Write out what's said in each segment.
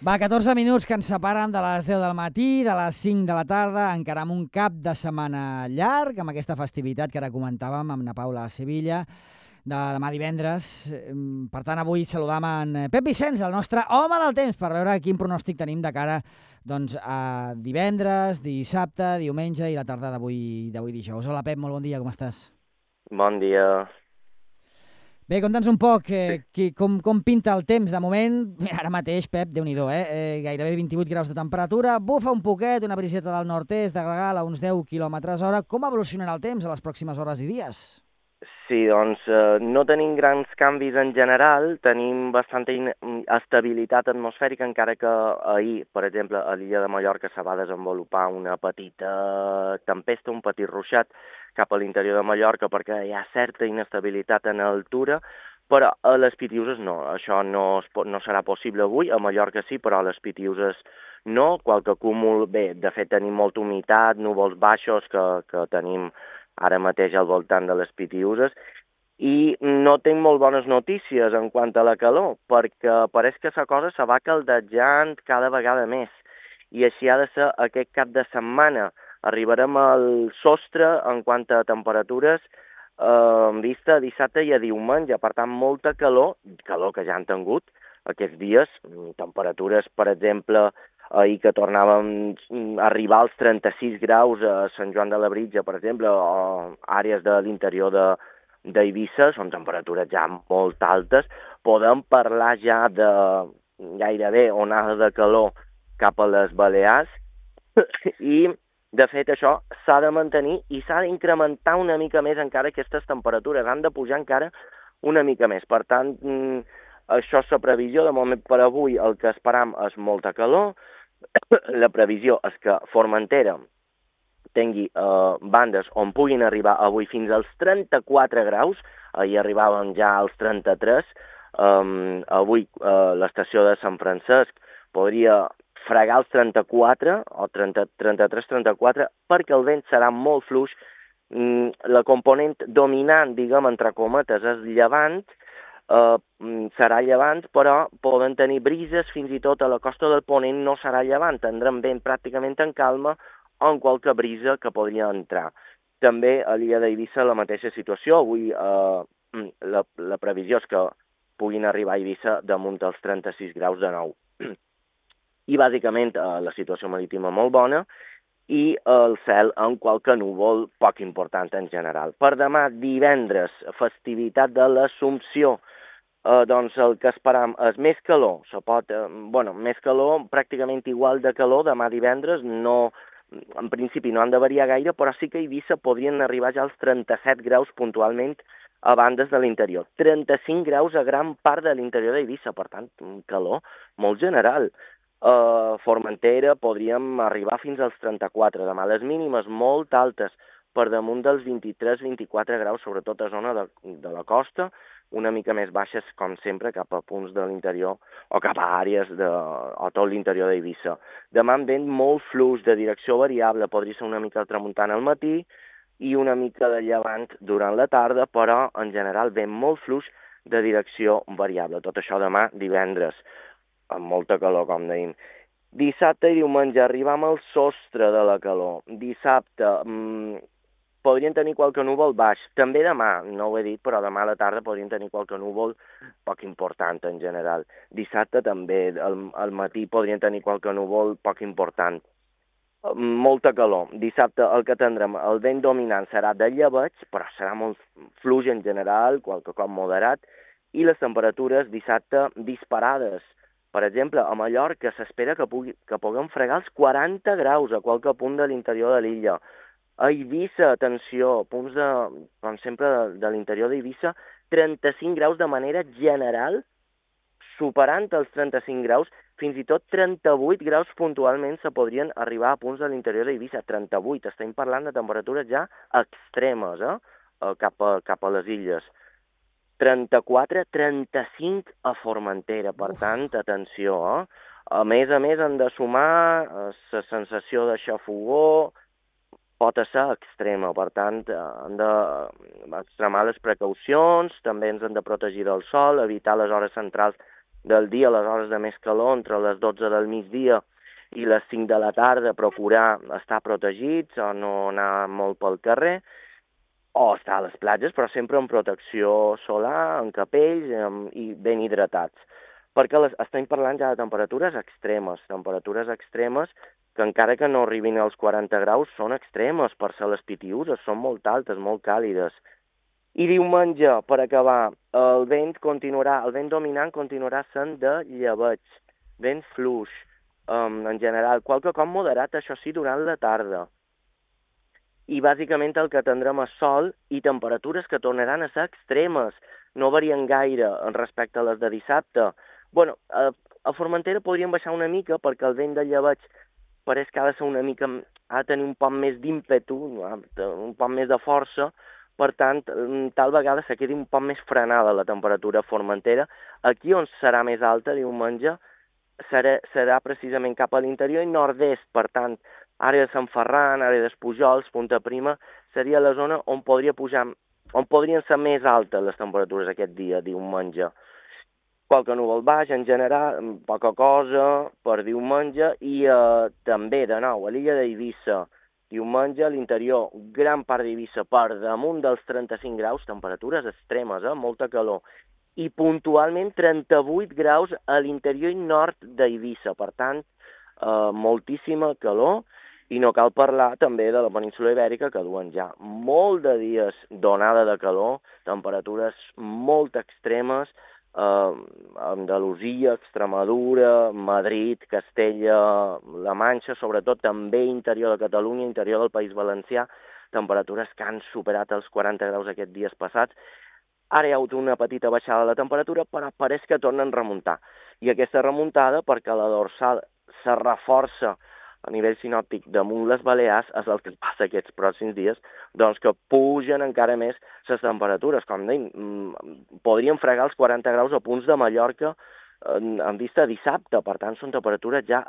Va, 14 minuts que ens separen de les 10 del matí, de les 5 de la tarda, encara amb un cap de setmana llarg, amb aquesta festivitat que ara comentàvem amb na Paula a Sevilla, de demà divendres. Per tant, avui saludam en Pep Vicenç, el nostre home del temps, per veure quin pronòstic tenim de cara doncs, a divendres, dissabte, diumenge i la tarda d'avui dijous. Hola, Pep, molt bon dia, com estàs? Bon dia. Bé, conta'ns un poc com pinta el temps. De moment, ara mateix, Pep, Déu-n'hi-do, gairebé 28 graus de temperatura, bufa un poquet, una briseta del nord-est, de Gregal a uns 10 km/h. Com evolucionarà el temps a les pròximes hores i dies? Sí, doncs no tenim grans canvis en general, tenim bastanta estabilitat atmosfèrica, encara que ahir, per exemple, a l'illa de Mallorca se va desenvolupar una petita tempesta, un petit ruixat cap a l'interior de Mallorca perquè hi ha certa inestabilitat en altura, però a les Pitiuses no, això no serà possible avui, a Mallorca sí, però a les Pitiuses no, qualque cúmul, bé, de fet tenim molta humitat, núvols baixos que tenim ara mateix al voltant de les Pitiuses, i no tinc molt bones notícies en quant a la calor, perquè pareix que la cosa se va caldejant cada vegada més, i així ha de ser aquest cap de setmana. Arribarem al sostre en quant a temperatures en vista a dissabte i a diumenge, per tant, molta calor que ja han tingut aquests dies, temperatures, per exemple, ahir que tornàvem a arribar als 36 graus a Sant Joan de Labritja, per exemple, o àrees de l'interior d'Eivissa, són temperatures ja molt altes, podem parlar ja de gairebé onada de calor cap a les Balears i, de fet, això s'ha de mantenir i s'ha d'incrementar una mica més encara aquestes temperatures, han de pujar encara una mica més. Per tant, això és la previsió. De moment per avui el que esperam és molta calor. La previsió és que Formentera tingui bandes on puguin arribar avui fins als 34 graus, ahir arribaven ja als 33, avui l'estació de Sant Francesc podria fregar els 34 o 33-34 perquè el vent serà molt fluix. La component dominant, diguem, entre cometes, és llevant, serà llevant, però poden tenir brises fins i tot a la costa del Ponent no serà llevant, tindrem vent pràcticament en calma o en qualque brisa que podria entrar. També a l'illa d'Eivissa la mateixa situació, avui la previsió és que puguin arribar a Eivissa damunt dels 36 graus de nou. I bàsicament la situació marítima molt bona i el cel amb qualque núvol poc important en general. Per demà, divendres, festivitat de l'Assumpció, doncs el que esperam és més calor, més calor, pràcticament igual de calor demà divendres, no, en principi no han de variar gaire, però sí que a Eivissa podrien arribar ja als 37 graus puntualment a bandes de l'interior. 35 graus a gran part de l'interior d'Eivissa, per tant, calor molt general. Formentera podríem arribar fins als 34, demà les mínimes molt altes, per damunt dels 23-24 graus, sobretot a zona de la costa, una mica més baixes, com sempre, cap a punts de l'interior o cap a àrees o tot l'interior d'Eivissa. Demà amb vent molt fluix, de direcció variable, podria ser una mica al tramuntana al matí i una mica de llevant durant la tarda, però en general vent molt fluix de direcció variable. Tot això demà divendres, amb molta calor, com dèiem. Dissabte i diumenge arribam al sostre de la calor. Dissabte podrien tenir qualque núvol baix. També demà, no ho he dit, però demà a la tarda podrien tenir qualque núvol poc important en general. Dissabte també, al matí podrien tenir qualque núvol poc important. Molta calor. Dissabte el que tindrem, el vent dominant serà de llebeig, però serà molt fluix en general, qualque cop moderat, i les temperatures dissabte disparades. Per exemple, a Mallorca s'espera que puguem fregar els 40 graus a qualque punt de l'interior de l'illa. A Eivissa, atenció, punts com sempre, de l'interior d'Eivissa, 35 graus de manera general, superant els 35 graus, fins i tot 38 graus puntualment se podrien arribar a punts de l'interior d'Eivissa. 38, estem parlant de temperatures ja extremes, cap a les illes. 34-35 a Formentera, per tant, atenció, A més han de sumar la sensació de xafogor, pot ser extrema, per tant, han d'extremar les precaucions, també ens han de protegir del sol, evitar les hores centrals del dia, a les hores de més calor, entre les 12 del migdia i les 5 de la tarda, procurar estar protegits o no anar molt pel carrer, o estar a les platges, però sempre amb protecció solar, amb capells i ben hidratats. Perquè estem parlant ja de temperatures extremes que encara que no arribin als 40 graus són extremes per ser les Pitiüses, són molt altes, molt càlides. I diumenge, per acabar, el vent dominant continuarà sent de llebeig, vent fluix, en general, qualque cop moderat, això sí, durant la tarda. I bàsicament el que tindrem és sol i temperatures que tornaran a ser extremes, no varien gaire respecte a les de dissabte. Bueno, a Formentera podríem baixar una mica perquè el vent de llebeig pareix que ha de ser una mica, ha de tenir un poc més d'ímpetu, un poc més de força, per tant, tal vegada se quedi un poc més frenada la temperatura a Formentera. Aquí on serà més alta diumenge serà precisament cap a l'interior i nord-est, per tant, àrea de Sant Ferran, àrea d'Espujols, Punta Prima, seria la zona on podrien ser més altes les temperatures aquest dia, diumenge. Qualque núvol baix, en general, poca cosa per diumenge, i també, de nou, a l'illa d'Eivissa, diumenge, a l'interior, gran part d'Eivissa per damunt dels 35 graus, temperatures extremes, molta calor, i puntualment 38 graus a l'interior i nord d'Eivissa, per tant, moltíssima calor, i no cal parlar també de la península Ibèrica, que duen ja molt de dies d'onada de calor, temperatures molt extremes, Andalusia, Extremadura, Madrid, Castella, La Manxa, sobretot també interior de Catalunya, interior del País Valencià, temperatures que han superat els 40 graus aquests dies passats. Ara hi ha hagut una petita baixada de la temperatura, però pareix que tornen a remuntar. I aquesta remuntada, perquè la dorsal se reforça a nivell sinòptic damunt les Balears, és el que passa aquests pròxims dies, doncs que pugen encara més les temperatures. Com deim, podríem fregar els 40 graus a punts de Mallorca en vista de dissabte, per tant són temperatures ja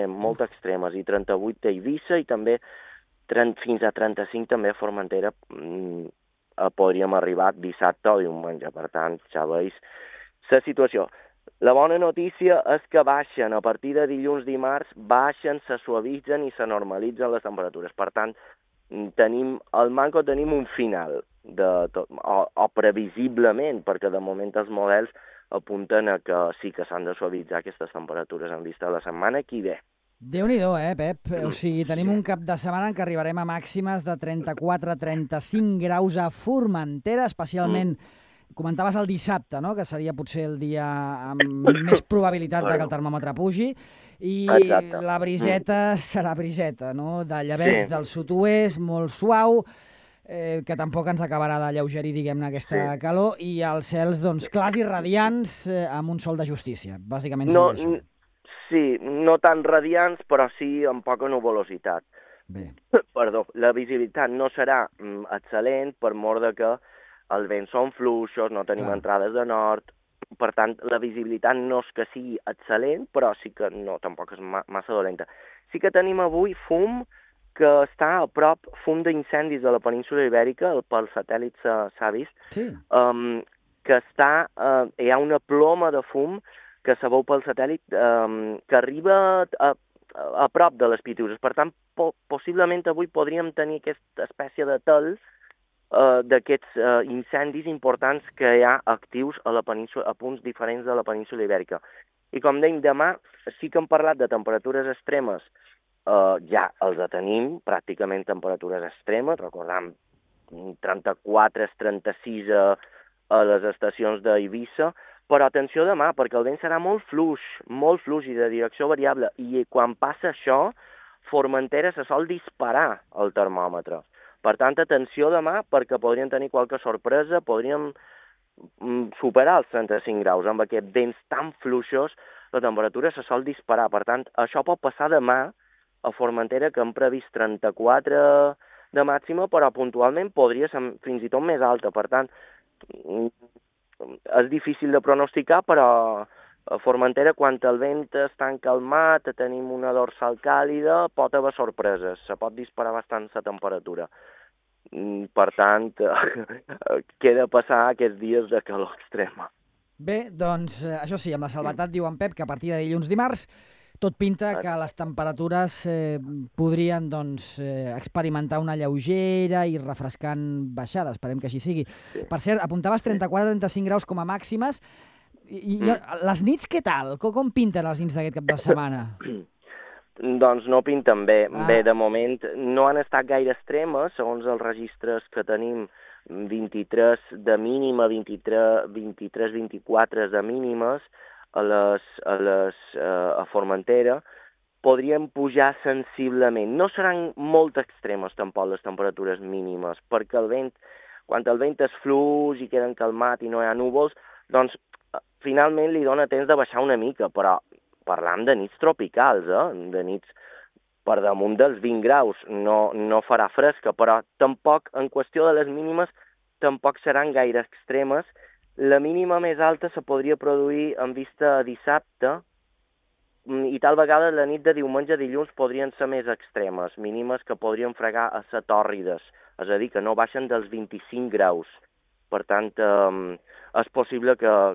molt extremes, i 38 a Eivissa i també fins a 35 també a Formentera podríem arribar dissabte o diumenge. Per tant, ja veus la situació. La bona notícia és que baixen, a partir de dilluns, dimarts, baixen, se suavitzen i se normalitzen les temperatures. Per tant, al manco tenim un final, o previsiblement, perquè de moment els models apunten a que sí que s'han de suavitzar aquestes temperatures en vista de la setmana que ve. Déu-n'hi-do, Pep? O sigui, tenim un cap de setmana en què arribarem a màximes de 34-35 graus a Formentera, especialment... Comentaves el dissabte, no?, que seria potser el dia amb més probabilitat que el termòmetre pugi, i exacte. La briseta serà briseta, no?, de llebeig del sud-oest, molt suau, que tampoc ens acabarà d'alleugerir, diguem-ne, aquesta calor, i els cels, doncs, clars i radiants amb un sol de justícia. Bàsicament seria això. Sí, no tan radiants, però sí amb poca nuvolositat. Bé. Perdó, la visibilitat no serà excel·lent, per mort de que els vents són fluixos, no tenim entrades de nord, per tant, la visibilitat no és que sigui excel·lent, però sí que no, tampoc és massa dolenta. Sí que tenim avui fum que està a prop, fum d'incendis de la península Ibèrica, pel satèl·lit s'ha vist, que hi ha una ploma de fum que se veu pel satèl·lit que arriba a prop de les Pitiüses. Per tant, possiblement avui podríem tenir aquesta espècie de tel d'aquests incendis importants que hi ha actius a la península, a punts diferents de la península Ibèrica. I com dèiem, demà sí que hem parlat de temperatures extremes, ja els tenim, pràcticament temperatures extremes, recordem 34-36 a les estacions d'Eivissa, però atenció demà, perquè el vent serà molt fluix i de direcció variable, i quan passa això, Formentera se sol disparar el termòmetre. Per tant, atenció demà, perquè podríem tenir qualque sorpresa, podríem superar els 35 graus. Amb aquests vents tan fluixos, la temperatura se sol disparar. Per tant, això pot passar demà a Formentera, que hem previst 34 de màxima, però puntualment podria ser fins i tot més alta. Per tant, és difícil de pronosticar, però a Formentera, quan el vent està calmat, tenim una dorsal càlida, pot haver sorpreses, se pot disparar bastant la temperatura. Per tant, queda passar aquests dies de calor extrema. Bé, doncs, això sí, amb la salvetat diu en Pep que a partir de dilluns-dimarts tot pinta que les temperatures podrien doncs, experimentar una lleugera i refrescant baixada. Esperem que així sigui. Sí. Per cert, apuntaves 34-35 graus com a màximes. Les nits, què tal? Com pinten les nits d'aquest cap de setmana? Doncs no pinten bé. Bé, de moment no han estat gaire extremes, segons els registres que tenim, 23 de mínima, 23-24 de mínimes a Formentera. Podrien pujar sensiblement. No seran molt extremes tampoc les temperatures mínimes, perquè el vent, quan el vent és fluix i queden calmat i no hi ha núvols, doncs finalment li dona temps de baixar una mica, però parlam de nits tropicals, de nits per damunt dels 20 graus. No farà fresca, però tampoc, en qüestió de les mínimes, tampoc seran gaire extremes. La mínima més alta se podria produir en vista a dissabte, i tal vegada la nit de diumenge a dilluns podrien ser més extremes, mínimes que podrien fregar a ser tòrrides, és a dir, que no baixen dels 25 graus. Per tant, és possible que a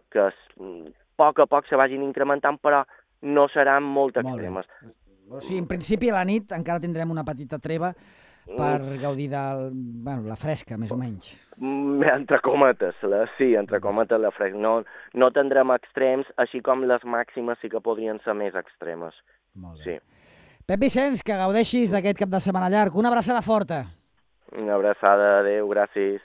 poc se vagin incrementant, però no seran molt extremes. O sigui, en principi a la nit encara tindrem una petita treva per gaudir de la fresca, més o menys. Entre cometes, entre cometes la fresca. No tindrem extrems, així com les màximes sí que podrien ser més extremes. Molt bé. Sí. Pep Vicenç, que gaudeixis d'aquest cap de setmana llarg. Una abraçada forta. Una abraçada, adéu, gràcies.